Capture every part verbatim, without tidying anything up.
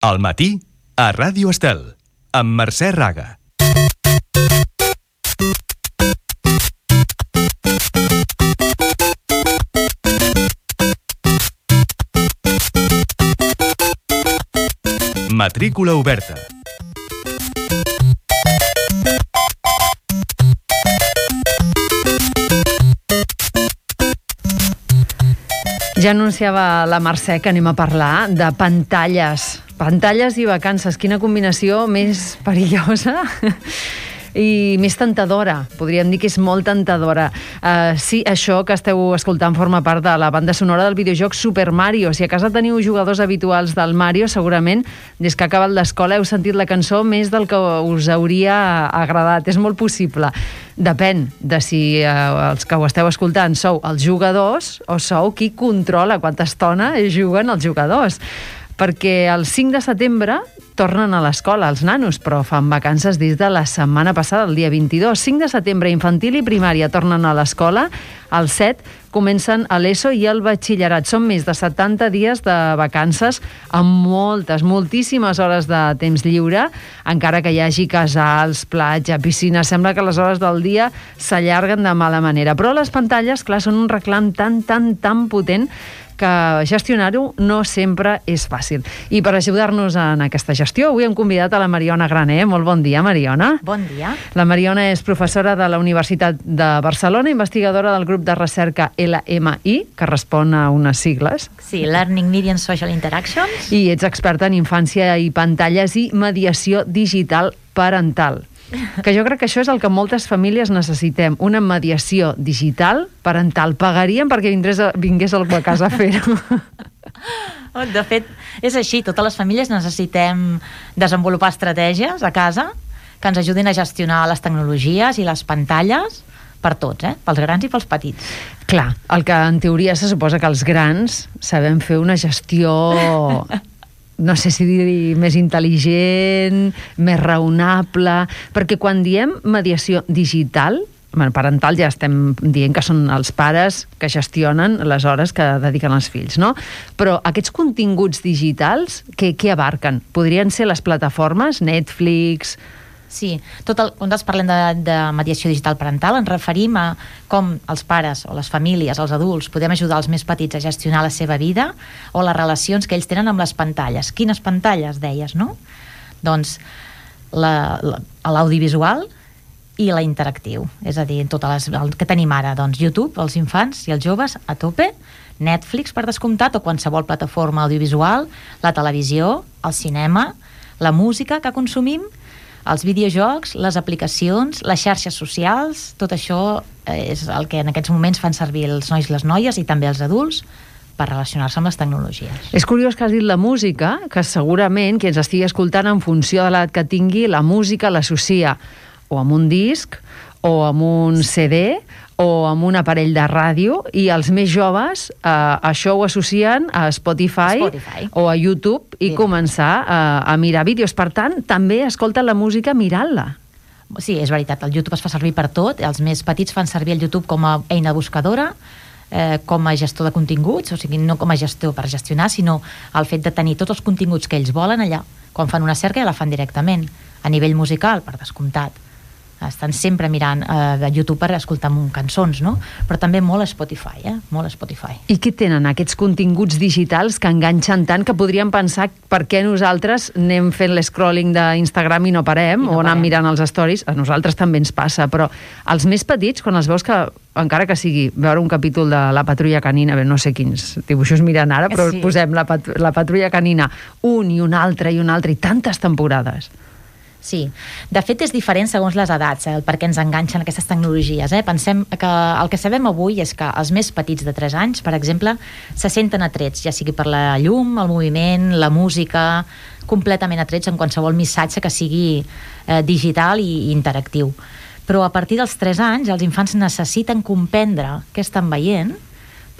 Al matí, a Ràdio Estel, amb Mercè Raga. Matrícula oberta. Ja anunciava la Mercè que anem a parlar de pantalles. Pantalles i vacances. Quina combinació més perillosa i més tentadora. Podríem dir que és molt tentadora. Uh, sí, això que esteu escoltant forma part de la banda sonora del videojoc Super Mario. Si a casa teniu jugadors habituals del Mario, segurament, des que ha acabat l'escola, heu sentit la cançó més del que us hauria agradat. És molt possible. Depèn de si eh, els que ho esteu escoltant sou els jugadors o sou qui controla quanta estona juguen els jugadors. Perquè el cinc de setembre tornen a l'escola els nanos, però fan vacances des de la setmana passada, el dia vint-i-dos. cinc de setembre, infantil i primària tornen a l'escola, el set comencen a l'ESO i el batxillerat. Són més de setanta dies de vacances amb moltes, moltíssimes hores de temps lliure, encara que hi hagi casals, platja, piscina. Sembla que les hores del dia s'allarguen de mala manera. Però les pantalles, clar, són un reclam tan, tan, tan potent que gestionar-ho no sempre és fàcil. I per ajudar-nos en aquesta gestió, avui hem convidat a la Mariona Graner. Molt bon dia, Mariona. Bon dia. La Mariona és professora de la Universitat de Barcelona, investigadora del grup de recerca L M I, que respon a unes sigles. Sí, Learning, Media and Social Interactions. I ets experta en infància i pantalles i mediació digital parental. Que jo crec que això és el que moltes famílies necessitem, una mediació digital parental. Pagaríem perquè vingués, vingués algú a casa a fer-ho. De fet, és així. Totes les famílies necessitem desenvolupar estratègies a casa que ens ajudin a gestionar les tecnologies i les pantalles per tots, eh? Pels grans i pels petits. Clar, el que en teoria se suposa que els grans sabem fer una gestió... no sé si dir més intel·ligent, més raonable, perquè quan diem mediació digital, bueno, parental ja estem dient que són els pares que gestionen les hores que dediquen als fills, no? Però aquests continguts digitals, què, què abarquen? Podrien ser les plataformes, Netflix... Sí, tot el, quan parlem de, de mediació digital parental ens referim a com els pares o les famílies, els adults, podem ajudar els més petits a gestionar la seva vida o les relacions que ells tenen amb les pantalles. Quines pantalles, deies, no? Doncs la, la, l'audiovisual i la interactiu, és a dir, tot les, el que tenim ara, doncs YouTube, els infants i els joves a tope, Netflix per descomptat o qualsevol plataforma audiovisual, la televisió, el cinema, la música que consumim, els videojocs, les aplicacions, les xarxes socials, tot això és el que en aquests moments fan servir els nois i les noies i també els adults per relacionar-se amb les tecnologies. És curiós que has dit la música, que segurament qui ens estigui escoltant en funció de l'edat que tingui, la música l'associa o amb un disc, o amb un C D, o amb un aparell de ràdio, i els més joves eh, això ho associen a Spotify, Spotify. o a YouTube i Mira. començar a, a mirar vídeos. Per tant, també escolten la música mirant-la. Sí, és veritat, el YouTube es fa servir per tot, els més petits fan servir el YouTube com a eina buscadora, eh, com a gestor de continguts, o sigui, no com a gestor per gestionar, sinó el fet de tenir tots els continguts que ells volen allà. Quan fan una cerca ja la fan directament, a nivell musical, per descomptat. Estan sempre mirant eh, YouTube per escoltar cançons, no? Però també molt a Spotify, eh? Molt a Spotify. I què tenen aquests continguts digitals que enganxen tant que podríem pensar per què nosaltres anem fent l'escrolling d'Instagram i no parem, I no o anem parem. mirant els stories? A nosaltres també ens passa, però els més petits, quan els veus que, encara que sigui veure un capítol de La Patrulla Canina, bé, no sé quins dibuixos miren ara, però sí. posem la, pat la Patrulla Canina, un i un altre i un altre, i tantes temporades. Sí, de fet és diferent segons les edats, eh, el per què ens enganxen aquestes tecnologies. Eh? Pensem que el que sabem avui és que els més petits de tres anys, per exemple, se senten atrets, ja sigui per la llum, el moviment, la música, completament atrets en qualsevol missatge que sigui eh, digital i, i interactiu. Però a partir dels tres anys els infants necessiten comprendre què estan veient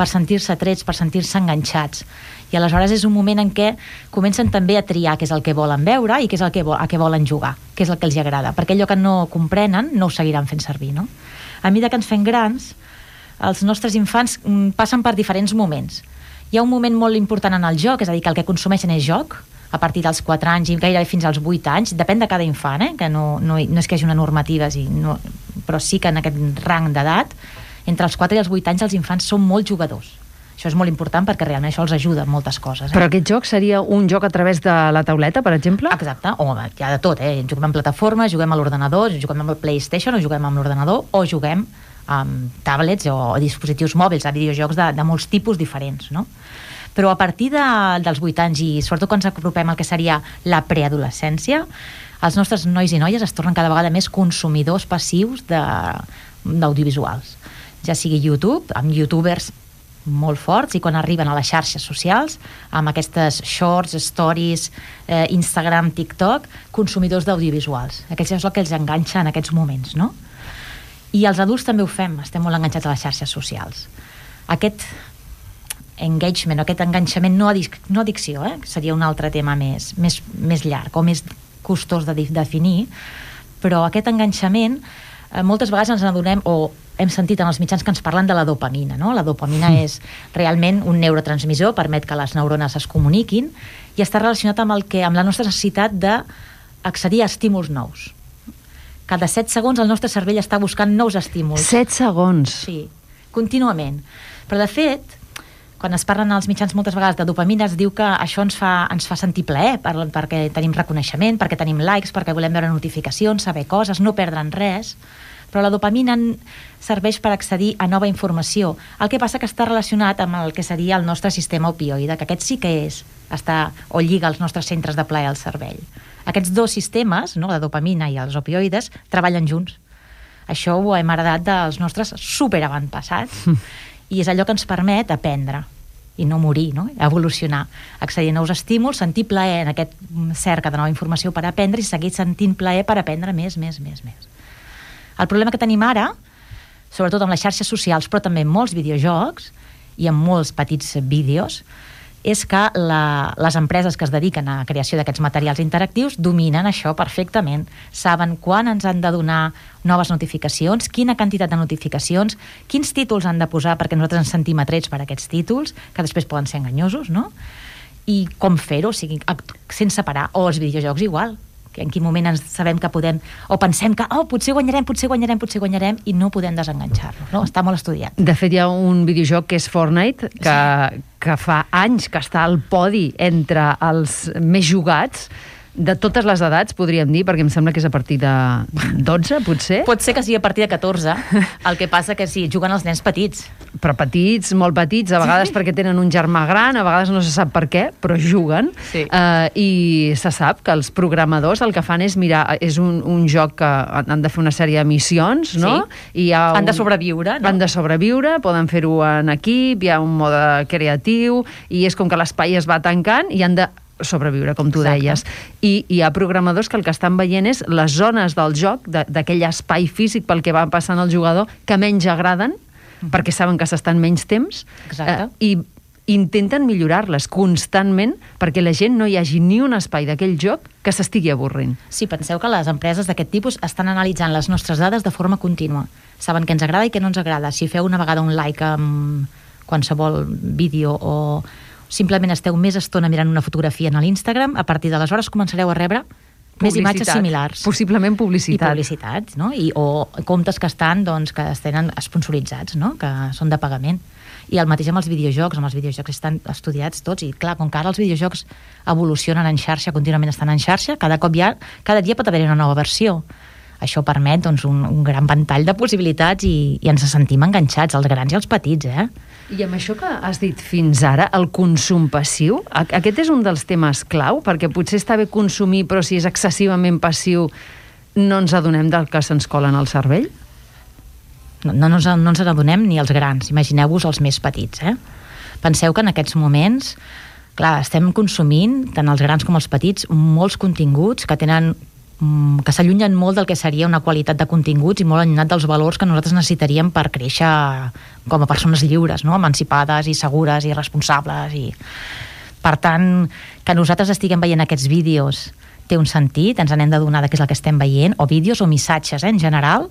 per sentir-se atrets, per sentir-se enganxats. I aleshores és un moment en què comencen també a triar què és el que volen veure i què és el que, vo a què volen jugar, què és el que els agrada, perquè allò que no comprenen no ho seguiran fent servir, no? A mesura que ens fem grans, els nostres infants passen per diferents moments. Hi ha un moment molt important en el joc, és a dir, que el que consumeixen és joc, a partir dels quatre anys i gairebé fins als vuit anys, depèn de cada infant, eh? Que no, no, no és que hi hagi una normativa, sí, no, però sí que en aquest rang d'edat, entre els quatre i els vuit anys els infants són molt jugadors. Això és molt important perquè realment això els ajuda en moltes coses. Eh? Però aquest joc seria un joc a través de la tauleta, per exemple? Exacte, o hi ha de tot, eh? Juguem en plataforma, juguem a l'ordenador, juguem amb el PlayStation o juguem amb l'ordenador o juguem amb tablets o dispositius mòbils, a videojocs de, de molts tipus diferents, no? Però a partir de, dels vuit anys i sobretot quan ens apropem al que seria la preadolescència, els nostres nois i noies es tornen cada vegada més consumidors passius d'audiovisuals. Ja sigui YouTube, amb youtubers molt forts, i quan arriben a les xarxes socials, amb aquestes shorts, stories, eh, Instagram, TikTok, consumidors d'audiovisuals. Aquest és el que els enganxa en aquests moments, no? I els adults també ho fem, estem molt enganxats a les xarxes socials. Aquest engagement, aquest enganxament, no, adic no addicció, eh? Seria un altre tema més, més, més llarg o més costós de definir, però aquest enganxament eh, moltes vegades ens adonem o hem sentit en els mitjans que ens parlen de la dopamina, no? La dopamina és realment un neurotransmissor, permet que les neurones es comuniquin i està relacionat amb, el que, amb la nostra necessitat d'accedir a estímuls nous. Cada set segons el nostre cervell està buscant nous estímuls. Set segons? Sí, contínuament. Però de fet, quan es parlen als mitjans moltes vegades de dopamina, es diu que això ens fa, ens fa sentir plaer, per, perquè tenim reconeixement, perquè tenim likes, perquè volem veure notificacions, saber coses, no perdre'n res. Però la dopamina serveix per accedir a nova informació. El que passa que està relacionat amb el que seria el nostre sistema opioide, que aquest sí que és, està, o lliga els nostres centres de plaer al cervell. Aquests dos sistemes, no, la dopamina i els opioides, treballen junts. Això ho hem heredat dels nostres superavantpassats. I és allò que ens permet aprendre i no morir, no? Evolucionar, accedir a nous estímuls, sentir plaer en aquest cerca de nova informació per aprendre i seguir sentint plaer per aprendre més, més, més, més. El problema que tenim ara, sobretot amb les xarxes socials, però també en molts videojocs i en molts petits vídeos, és que la, les empreses que es dediquen a la creació d'aquests materials interactius dominen això perfectament. Saben quan ens han de donar noves notificacions, quina quantitat de notificacions, quins títols han de posar perquè nosaltres ens sentim atrets per aquests títols, que després poden ser enganyosos, no? I com fer-ho, o sigui, sense parar. O els videojocs igual, que en quin moment ens sabem que podem, o pensem que oh, potser guanyarem, potser guanyarem, potser guanyarem, i no podem desenganxar-nos, no? Està molt estudiat. De fet, hi ha un videojoc que és Fortnite, que, sí. que fa anys que està al podi entre els més jugats, de totes les edats, podríem dir, perquè em sembla que és a partir de dotze, potser? Pot ser que sigui a partir de catorze, el que passa que sí, juguen els nens petits. Però petits, molt petits, a vegades sí. perquè tenen un germà gran, a vegades no se sap per què, però juguen. Sí. Uh, I se sap que els programadors el que fan és mirar, és un, un joc que han de fer una sèrie de missions, no? Sí. I hi ha un... Han de sobreviure, no? Han de sobreviure, poden fer-ho en equip, hi ha un mode creatiu, i és com que l'espai es va tancant i han de sobreviure, com tu Exacte. deies. I hi ha programadors que el que estan veient és les zones del joc, d'aquell espai físic pel que va passant el jugador, que menys agraden, mm-hmm. perquè saben que s'estan menys temps, eh, i intenten millorar-les constantment perquè la gent no hi hagi ni un espai d'aquell joc que s'estigui avorrint. Sí, penseu que les empreses d'aquest tipus estan analitzant les nostres dades de forma contínua. Saben què ens agrada i què no ens agrada. Si feu una vegada un like amb qualsevol vídeo o simplement esteu més estona mirant una fotografia en l'Instagram, a partir d'aleshores començareu a rebre més imatges similars. Possiblement publicitat. I publicitat, no? I, o comptes que estan, doncs, que es tenen sponsoritzats, no? Que són de pagament. I el mateix amb els videojocs, amb els videojocs estan estudiats tots, i clar, com que ara els videojocs evolucionen en xarxa, contínuament estan en xarxa, cada cop hi ha, cada dia pot haver una nova versió. Això permet, doncs, un, un gran ventall de possibilitats i, i ens sentim enganxats, els grans i els petits, eh? I amb això que has dit fins ara, el consum passiu, aquest és un dels temes clau, perquè potser està bé consumir, però si és excessivament passiu no ens adonem del que se'ns cola en el cervell? No, no, no, no ens adonem ni els grans, imagineu-vos els més petits, eh? Penseu que en aquests moments, clar, estem consumint, tant els grans com els petits, molts continguts que tenen que s'allunyen molt del que seria una qualitat de continguts i molt allunyat dels valors que nosaltres necessitaríem per créixer com a persones lliures, no? Emancipades i segures i responsables. I... Per tant, que nosaltres estiguem veient aquests vídeos té un sentit, ens n'hem d'adonar de què és el que estem veient, o vídeos o missatges, eh, en general,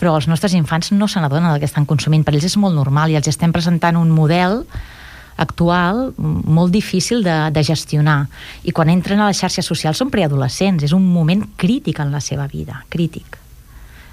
però els nostres infants no se n'adonen del que estan consumint. Per ells és molt normal i els estem presentant un model actual molt difícil de, de gestionar. I quan entren a les xarxes socials són preadolescents, és un moment crític en la seva vida, crític.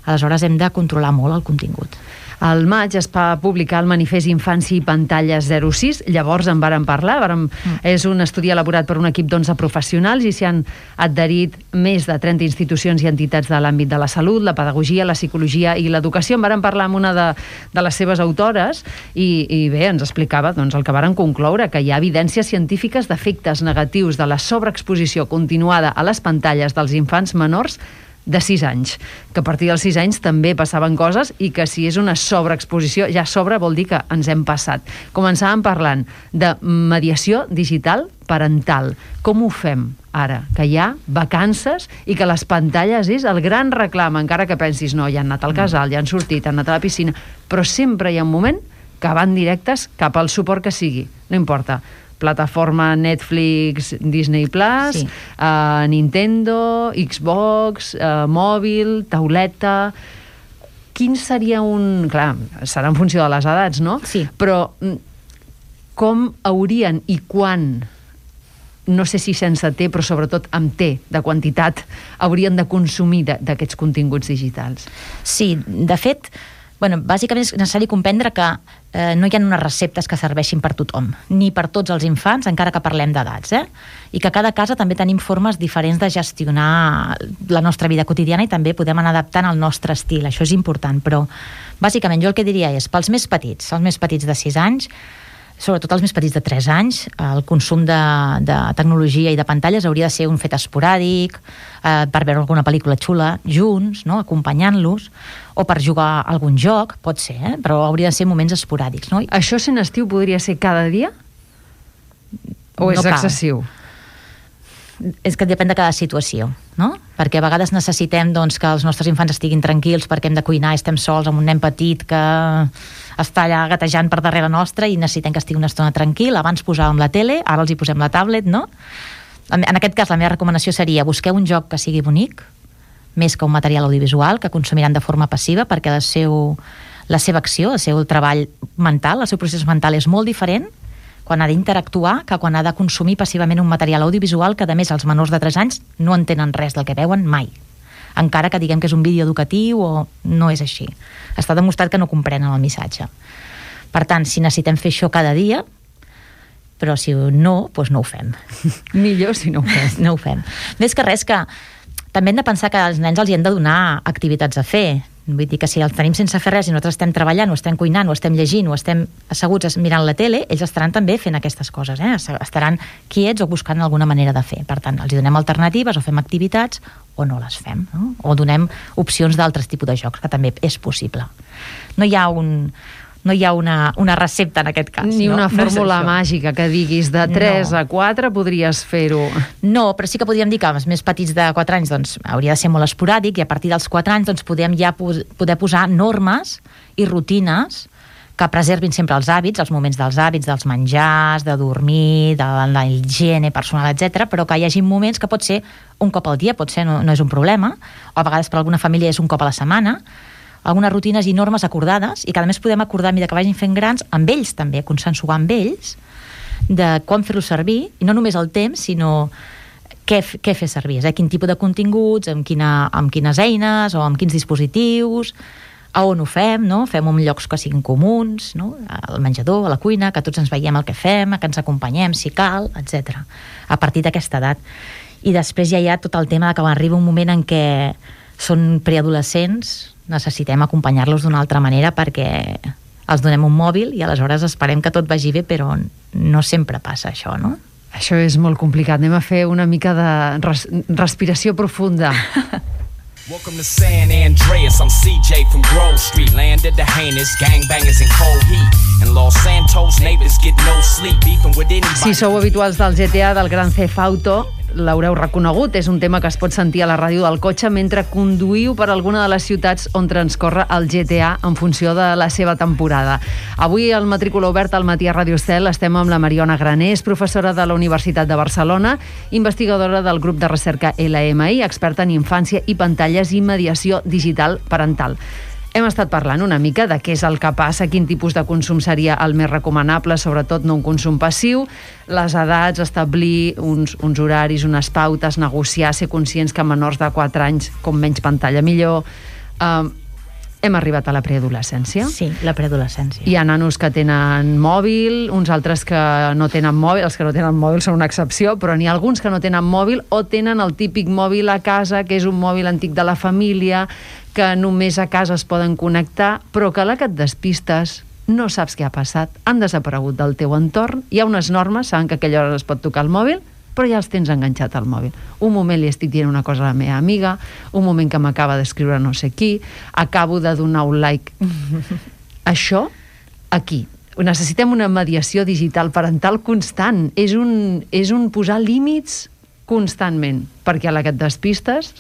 Aleshores hem de controlar molt el contingut. Al maig es va publicar el manifest Infància i Pantalles zero sis, llavors en vàrem parlar, vàrem, mm. és un estudi elaborat per un equip d'onze professionals i s'hi han adherit més de trenta institucions i entitats de l'àmbit de la salut, la pedagogia, la psicologia i l'educació. En vàrem parlar amb una de, de les seves autores i, i bé, ens explicava doncs, el que varen concloure, que hi ha evidències científiques d'efectes negatius de la sobreexposició continuada a les pantalles dels infants menors de sis anys, que a partir dels sis anys també passaven coses i que si és una sobreexposició, ja sobre vol dir que ens hem passat. Començàvem parlant de mediació digital parental. Com ho fem ara? Que hi ha vacances i que les pantalles és el gran reclam, encara que pensis, no, ja han anat al casal, ja han sortit, han anat a la piscina, però sempre hi ha un moment que van directes cap al suport que sigui, no importa. Plataforma Netflix, Disney Plus, sí. uh, Nintendo, Xbox, uh, mòbil, tauleta... Quin seria un... Clar, serà en funció de les edats, no? Sí. Però com haurien i quan, no sé si sense T, però sobretot amb T, de quantitat, haurien de consumir d'aquests continguts digitals? Sí, de fet... Bueno, bàsicament és necessari comprendre que eh, no hi ha unes receptes que serveixin per tothom, ni per tots els infants, encara que parlem d'edats, eh? I que a cada casa també tenim formes diferents de gestionar la nostra vida quotidiana i també podem anar adaptant al nostre estil, això és important, però bàsicament jo el que diria és, pels més petits, els més petits de sis anys, sobretot els més petits de tres anys, el consum de, de tecnologia i de pantalles hauria de ser un fet esporàdic, eh, per veure alguna pel·lícula xula junts, no? Acompanyant-los, o per jugar a algun joc, pot ser, eh? Però hauria de ser moments esporàdics. No? Això sent estiu podria ser cada dia? O és no excessiu? És que depèn de cada situació, no? Perquè a vegades necessitem doncs, que els nostres infants estiguin tranquils perquè hem de cuinar, estem sols amb un nen petit que està allà gatejant per darrere nostra i necessitem que estigui una estona tranquil. Abans posàvem la tele, ara els hi posem la tablet, no? En aquest cas la meva recomanació seria busqueu un joc que sigui bonic, més que un material audiovisual que consumiran de forma passiva, perquè el seu, la seva acció, el seu treball mental, el seu procés mental és molt diferent quan ha d'interactuar que quan ha de consumir passivament un material audiovisual que, a més, els menors de tres anys no entenen res del que veuen mai. Encara que diguem que és un vídeo educatiu o no és així. Està demostrat que no comprenen el missatge. Per tant, si necessitem fer això cada dia, però si no, doncs no ho fem. Millor si no ho fem. No ho fem. Més que res que també hem de pensar que als nens els hi hem de donar activitats a fer. Vull dir que si els tenim sense fer res i nosaltres estem treballant, o estem cuinant, o estem llegint, o estem asseguts mirant la tele, ells estaran també fent aquestes coses, eh? Estaran quiets o buscant alguna manera de fer. Per tant, els donem alternatives o fem activitats o no les fem, no? O donem opcions d'altres tipus de jocs, que també és possible. No hi ha un... No hi ha una, una recepta en aquest cas. Ni no? una fórmula no màgica que diguis de tres no. a quatre podries fer-ho. No, però sí que podríem dir que els més petits de quatre anys doncs, hauria de ser molt esporàdic i a partir dels quatre anys doncs, podem ja pos- poder posar normes i rutines que preservin sempre els hàbits, els moments dels hàbits, dels menjars, de dormir, de la higiene personal, etcètera, però que hi hagi moments que pot ser un cop al dia, pot ser, no, no és un problema, o a vegades per alguna família és un cop a la setmana, algunes rutines i normes acordades i que a més podem acordar a mesura que vagin fent grans amb ells també, consensuar amb ells de com fer-lo servir i no només el temps sinó què, què fer servir, eh? Quin tipus de continguts, amb, quina, amb quines eines o amb quins dispositius, a on ho fem, no? Fem en llocs que siguin comuns, no? Al menjador, a la cuina, que tots ens veiem el que fem, que ens acompanyem si cal, etcètera. A partir d'aquesta edat. I després ja hi ha tot el tema de que quan arriba un moment en què són preadolescents necessitem acompanyar-los d'una altra manera perquè els donem un mòbil i aleshores esperem que tot vagi bé, però no sempre passa això, no? Això és molt complicat. Anem a fer una mica de res- respiració profunda. Welcome to San Andreas, I'm C J from Grove Street. Landed the heinous gangbangers in cold heat. And Los Santos neighbors get no sleep, beefing with anybody. Si sou habituals del G T A, del Grand Theft Auto, l'haureu reconegut. És un tema que es pot sentir a la ràdio del cotxe mentre conduïu per alguna de les ciutats on transcorre el G T A en funció de la seva temporada. Avui al Matrícula Oberta al matí a Ràdio Estel estem amb la Mariona Granés, professora de la Universitat de Barcelona, investigadora del grup de recerca L M I, experta en infància i pantalles i mediació digital parental. Hem estat parlant una mica de què és el que passa, quin tipus de consum seria el més recomanable, sobretot no un consum passiu, les edats, establir uns, uns horaris, unes pautes, negociar, ser conscients que menors de quatre anys, com menys pantalla millor. Uh, hem arribat a la preadolescència. Sí, la preadolescència. Hi ha nanos que tenen mòbil, uns altres que no tenen mòbil, els que no tenen mòbil són una excepció, però n'hi ha alguns que no tenen mòbil o tenen el típic mòbil a casa, que és un mòbil antic de la família, que només a casa es poden connectar, però que a la que et despistes no saps què ha passat, han desaparegut del teu entorn, hi ha unes normes, saben que a aquella hora es pot tocar el mòbil, però ja els tens enganxat al mòbil. Un moment li estic dient una cosa a la meva amiga, un moment que m'acaba d'escriure no sé qui, acabo de donar un like. Això, aquí. Necessitem una mediació digital parental constant. És un, és un posar límits constantment, perquè a la que et despistes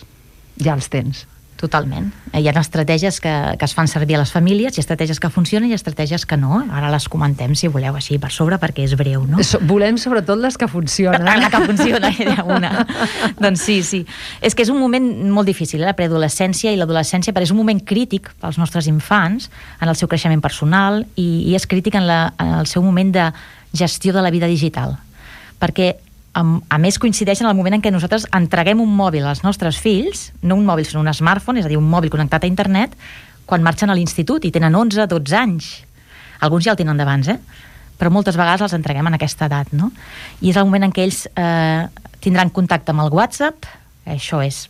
ja els tens. Totalment. Hi ha estratègies que, que es fan servir a les famílies, hi ha estratègies que funcionen i estratègies que no. Ara les comentem, si voleu, així per sobre, perquè és breu, no? So, volem sobretot les que funcionen. La que funciona, era una. Doncs sí, sí. És que és un moment molt difícil, eh? La preadolescència i l'adolescència, però és un moment crític pels nostres infants en el seu creixement personal i, i és crític en, la, en el seu moment de gestió de la vida digital. Perquè a més coincideix en el moment en què nosaltres entreguem un mòbil als nostres fills, no un mòbil, sinó un smartphone, és a dir, un mòbil connectat a internet, quan marxen a l'institut i tenen onze, dotze anys. Alguns ja el tenen d'abans, eh? Però moltes vegades els entreguem en aquesta edat, no? I és el moment en què ells eh, tindran contacte amb el WhatsApp, això és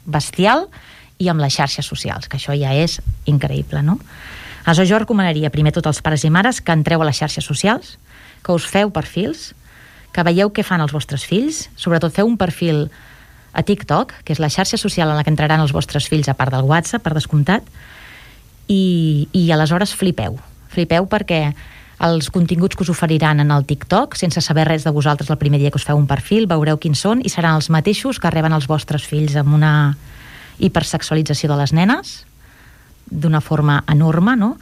bestial, i amb les xarxes socials, que això ja és increïble, no? Aleshores, jo recomanaria primer tots els pares i mares que entreu a les xarxes socials, que us feu perfils, que veieu què fan els vostres fills, sobretot feu un perfil a TikTok, que és la xarxa social en la que entraran els vostres fills, a part del WhatsApp, per descomptat, i, i aleshores flipeu. Flipeu perquè els continguts que us oferiran en el TikTok, sense saber res de vosaltres el primer dia que us feu un perfil, veureu quins són i seran els mateixos que reben els vostres fills amb una hipersexualització de les nenes, d'una forma enorme, no?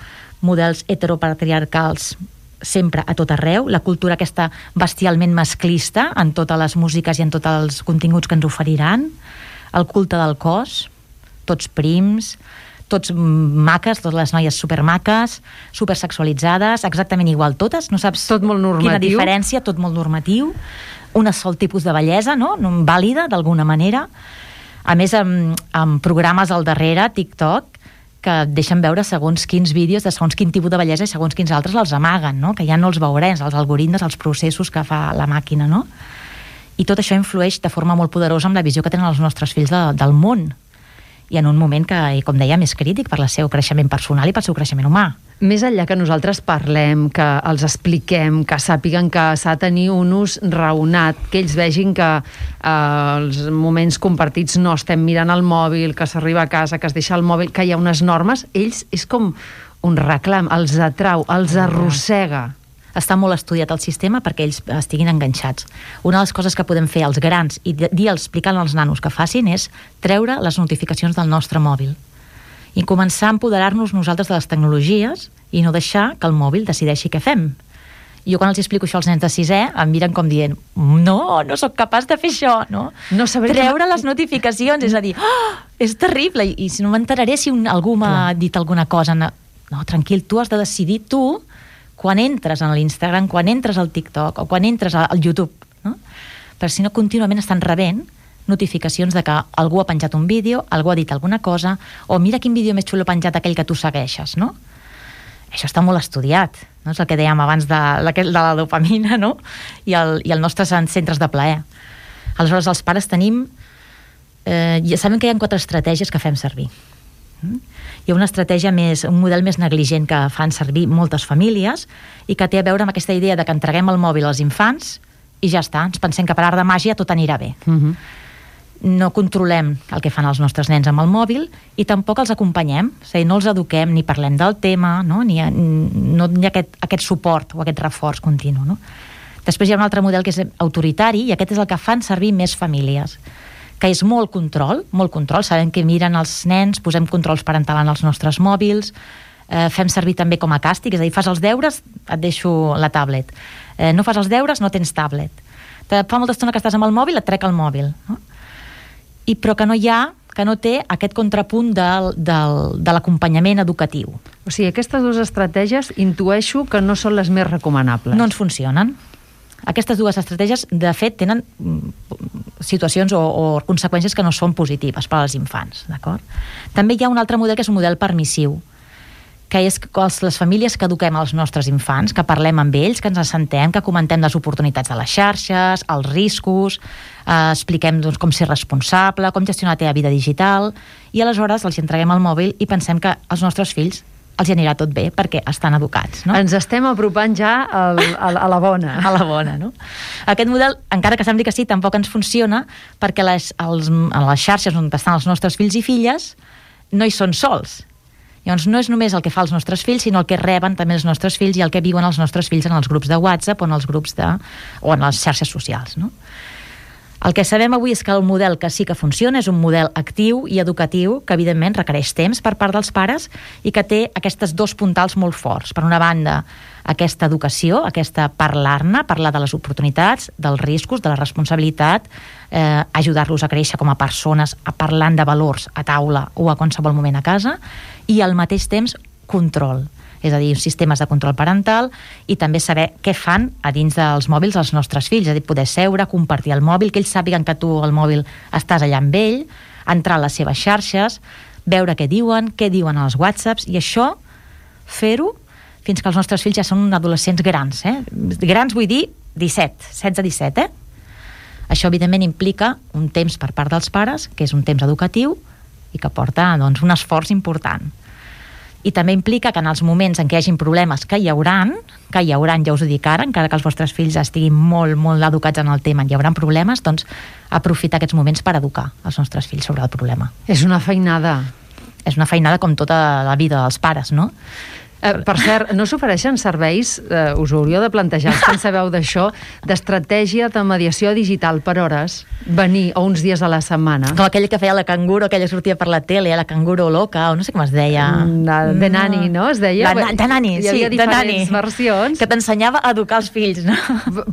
Models heteropatriarcals sempre a tot arreu, la cultura aquesta bestialment masclista en totes les músiques i en tots els continguts que ens oferiran, el culte del cos, tots prims, tots maques, totes les noies supermaques, supersexualitzades, exactament igual totes, no saps tot molt normatiu. Quina diferència, tot molt normatiu, un sol tipus de bellesa, no? Vàlida, d'alguna manera. A més, amb, amb programes al darrere, TikTok, que deixen veure segons quins vídeos de segons quin tipus de bellesa i segons quins altres els amaguen, no? Que ja no els veurem, els algoritmes, els processos que fa la màquina, no? I tot això influeix de forma molt poderosa amb la visió que tenen els nostres fills de, del món. I en un moment que, com dèiem, és crític per el seu creixement personal i pel seu creixement humà. Més enllà que nosaltres parlem, que els expliquem, que sàpiguen que s'ha de tenir un ús raonat, que ells vegin que eh, els moments compartits no estem mirant el mòbil, que s'arriba a casa, que es deixa el mòbil, que hi ha unes normes, ells és com un reclam, els atrau, els arrossega. Està molt estudiat el sistema perquè ells estiguin enganxats. Una de les coses que podem fer els grans i dir-los, explicant als nanos que facin, és treure les notificacions del nostre mòbil i començar a empoderar-nos nosaltres de les tecnologies i no deixar que el mòbil decideixi què fem. Jo quan els explico això als nens de sisè em miren com dient no, no sóc capaç de fer això, no? no treure que... les notificacions, és a dir, oh, és terrible, i, i si no m'enteraré si un, algú m'ha dit alguna cosa. No, no, tranquil, tu has de decidir tu quan entres en l'Instagram, quan entres al TikTok o quan entres al YouTube, no? Perquè si no contínuament estan rebent notificacions de que algú ha penjat un vídeo, algú ha dit alguna cosa, o mira quin vídeo més xulo ha penjat aquell que tu segueixes, no? Això està molt estudiat, no? És el que dèiem abans de, de la dopamina, no? I el, i els nostres centres de plaer. Aleshores, els pares tenim... Eh, ja sabem que hi ha quatre estratègies que fem servir. Hi ha una estratègia més, un model més negligent que fan servir moltes famílies i que té a veure amb aquesta idea de que entreguem el mòbil als infants i ja està, ens pensem que per art de màgia tot anirà bé. Uh-huh. No controlem el que fan els nostres nens amb el mòbil i tampoc els acompanyem, és a dir, no els eduquem ni parlem del tema, no, ni hi ha, no hi ha aquest, aquest suport o aquest reforç continu, no? Després hi ha un altre model que és autoritari i aquest és el que fan servir més famílies, que és molt control, molt control, sabem que miren els nens, posem controls parentals en els nostres mòbils, eh, fem servir també com a càstig, és a dir, fas els deures, et deixo la tablet, eh, no fas els deures, no tens tablet, te fa molta estona que estàs amb el mòbil, et trec el mòbil, no? I però que no hi ha que no té aquest contrapunt del, del, de l'acompanyament educatiu. O sigui, aquestes dues estratègies intueixo que no són les més recomanables. No ens funcionen. Aquestes dues estratègies, de fet, tenen situacions o, o conseqüències que no són positives per als infants, d'acord? També hi ha un altre model que és un model permissiu, que és que les famílies que eduquem els nostres infants, que parlem amb ells, que ens assentem, que comentem les oportunitats de les xarxes, els riscos, eh, expliquem doncs, com ser responsable, com gestionar la teva vida digital, i aleshores els entreguem el mòbil i pensem que els nostres fills els hi anirà tot bé perquè estan educats. No? Ens estem apropant ja al, a, a la bona. A la bona, no? Aquest model, encara que sembli que sí, tampoc ens funciona perquè les, els, a les xarxes on estan els nostres fills i filles no hi són sols. Llavors no és només el que fa els nostres fills, sinó el que reben també els nostres fills i el que viuen els nostres fills en els grups de WhatsApp o en els grups de, o en les xarxes socials, no? El que sabem avui és que el model que sí que funciona és un model actiu i educatiu que, evidentment, requereix temps per part dels pares i que té aquests dos puntals molt forts. Per una banda, aquesta educació, aquesta parlar-ne, parlar de les oportunitats, dels riscos, de la responsabilitat, eh, ajudar-los a créixer com a persones, a parlant de valors a taula o a qualsevol moment a casa, i al mateix temps control. És a dir, sistemes de control parental i també saber què fan a dins dels mòbils els nostres fills, és a dir, poder seure, compartir el mòbil, que ells sàpiguen que tu al mòbil estàs allà amb ell, entrar a les seves xarxes, veure què diuen, què diuen als whatsapps, i això, fer-ho fins que els nostres fills ja són adolescents grans, eh? Grans vull dir disset, setze disset, eh? Això, evidentment, implica un temps per part dels pares, que és un temps educatiu i que porta, doncs, un esforç important. I també implica que en els moments en què hi hagin problemes, que hi hauran, que hi hauran, ja us ho dic ara, encara que els vostres fills estiguin molt, molt educats en el tema, hi hauran problemes, doncs aprofitar aquests moments per educar els nostres fills sobre el problema. És una feinada. És una feinada com tota la vida dels pares, no? Eh, per cert, no s'ofereixen serveis, eh, us ho hauríeu de plantejar, que en sabeu d'això, d'estratègia de mediació digital per hores, venir o uns dies a la setmana? Com aquell que feia la canguro, aquella sortia per la tele, la canguro loca, o no sé com es deia. De nani, no? Es deia? De, de nani, sí, hi havia de nani. diferents versions. Que t'ensenyava a educar els fills, no?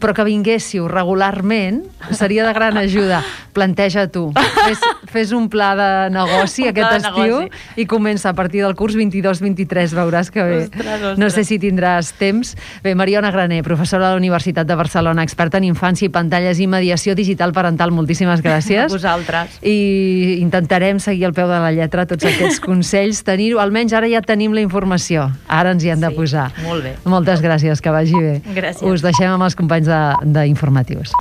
Però que vinguéssiu regularment seria de gran ajuda. Planteja tu. Fes, fes un pla de negoci aquest de estiu negoci. I comença a partir del curs vint-i-dos vint-i-tres, veuràs que bé. Ostres, ostres. No sé si tindràs temps. Bé, Mariona Graner, professora de la Universitat de Barcelona, experta en infància i pantalles i mediació digital parental, moltíssimes gràcies. A vosaltres. I intentarem seguir al peu de la lletra tots aquests consells, tenir-ho, almenys ara ja tenim la informació, ara ens hi hem de Sí, posar. molt bé. Moltes gràcies, que vagi bé. Gràcies. Us deixem amb els companys de- d'informatius.